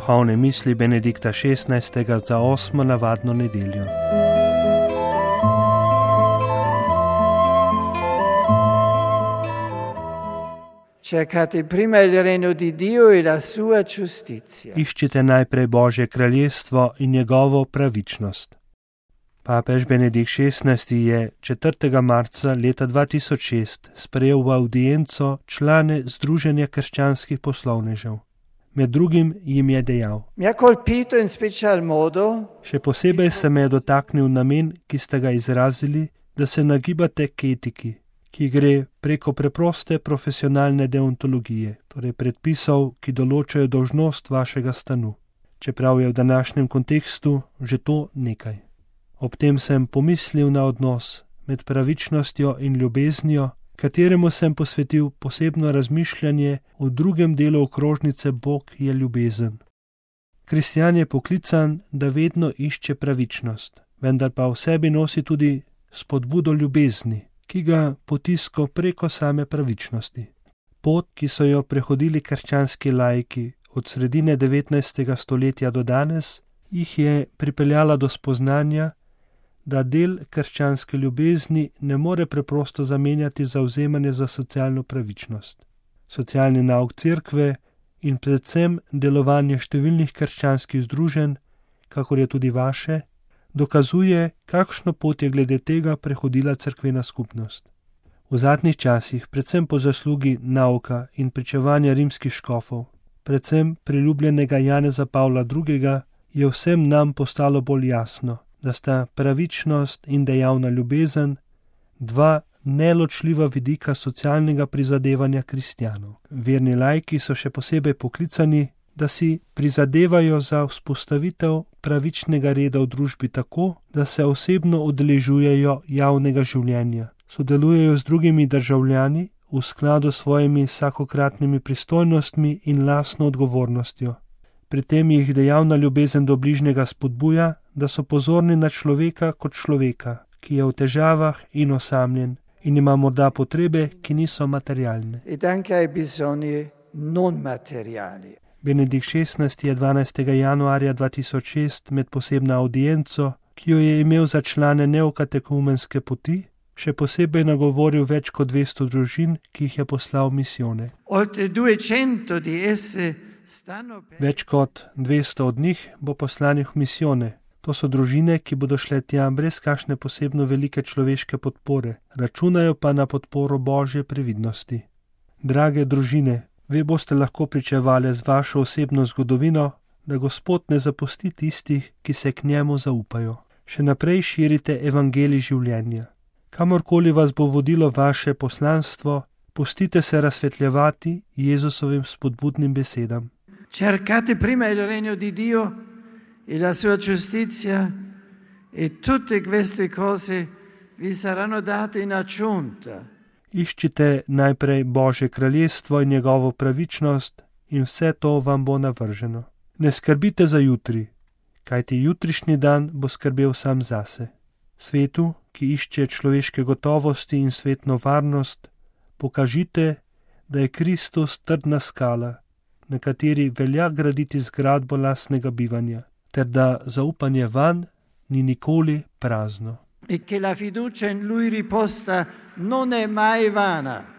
Duhovne misli Benedikta XVI. Za 8. navadno nedeljo. Cercate prima il regno di Dio e la sua giustizia. Iščite najprej Božje kraljestvo in njegovo pravičnost. Papež Benedikt XVI. Je 4. marca leta 2006 sprejel v avdienco člane Združenja krščanskih poslovnežev. Med drugim jim je dejal: Mi ha colpito in special modo. Še posebej se me je dotaknil namen, ki ste ga izrazili, da se nagibate k etiki, ki gre preko preproste profesionalne deontologije, torej predpisov, ki določajo dolžnost vašega stanu, čeprav je v današnjem kontekstu že to nekaj. Ob tem sem pomislil na odnos med pravičnostjo in ljubeznijo, kateremu sem posvetil posebno razmišljanje v drugem delu okrožnice Bog je ljubezen. Kristjan je poklican, da vedno išče pravičnost, vendar pa v sebi nosi tudi spodbudo ljubezni, ki ga potiska preko same pravičnosti. Pot, ki so jo prehodili krščanski laiki od sredine 19. stoletja do danes, jih je pripeljala do spoznanja, da del krščanske ljubezni ne more preprosto zamenjati zavzemanje za socialno pravičnost. Socialni nauk cerkve in predvsem delovanje številnih krščanskih združenj, kakor je tudi vaše, dokazuje, kakšno pot je glede tega prehodila cerkvena skupnost. V zadnjih časih, predvsem po zaslugi nauka in pričevanja rimskih škofov, predvsem priljubljenega Janeza Pavla II., je vsem nam postalo bolj jasno, da sta pravičnost in dejavna ljubezen dva neločljiva vidika socialnega prizadevanja kristjanov. Verni laiki so še posebej poklicani, da si prizadevajo za vzpostavitev pravičnega reda v družbi tako, da se osebno udeležujejo javnega življenja, sodelujejo z drugimi državljani v skladu s svojimi vsakokratnimi pristojnostmi in lastno odgovornostjo. Pri tem jih dejavna ljubezen do bližnjega spodbuja, da so pozorni na človeka kot človeka, ki je v težavah in osamljen in ima morda potrebe, ki niso materialne. Ed anche ai bisogni non materiali. Benedikt XVI. Je 12. januarja 2006 med posebno audienco, ki jo je imel za člane neokatekumenske poti, še posebej nagovoril več kot 200 družin, ki jih je poslal v misijone. Oltre 200 di esse stanno per... Več kot 200 od njih bo poslanih v misijone. To so družine, ki bodo šle tja brez kakšne posebno velike človeške podpore, računajo pa na podporo Božje previdnosti. Drage družine, vi boste lahko pričevali z vašo osebno zgodovino, da Gospod ne zapusti tistih, ki se k njemu zaupajo. Še naprej širite evangelij življenja. Kamorkoli vas bo vodilo vaše poslanstvo, pustite se razsvetljevati Jezusovim spodbudnim besedam. Cercate prima il regno di Dio e la sua giustizia e tutte queste cose vi saranno date in aggiunta. Iščite najprej Božje kraljestvo in njegovo pravičnost in vse to vam bo navrženo. Ne skrbite za jutri, kajti jutrišnji dan bo skrbel sam zase. Svetu, ki išče človeške gotovosti in svetno varnost, pokažite, da je Kristus trdna skala, na kateri velja graditi zgradbo lastnega bivanja, ter da zaupanje vanj ni nikoli prazno. E che la fiducia in Lui riposta non è mai vana.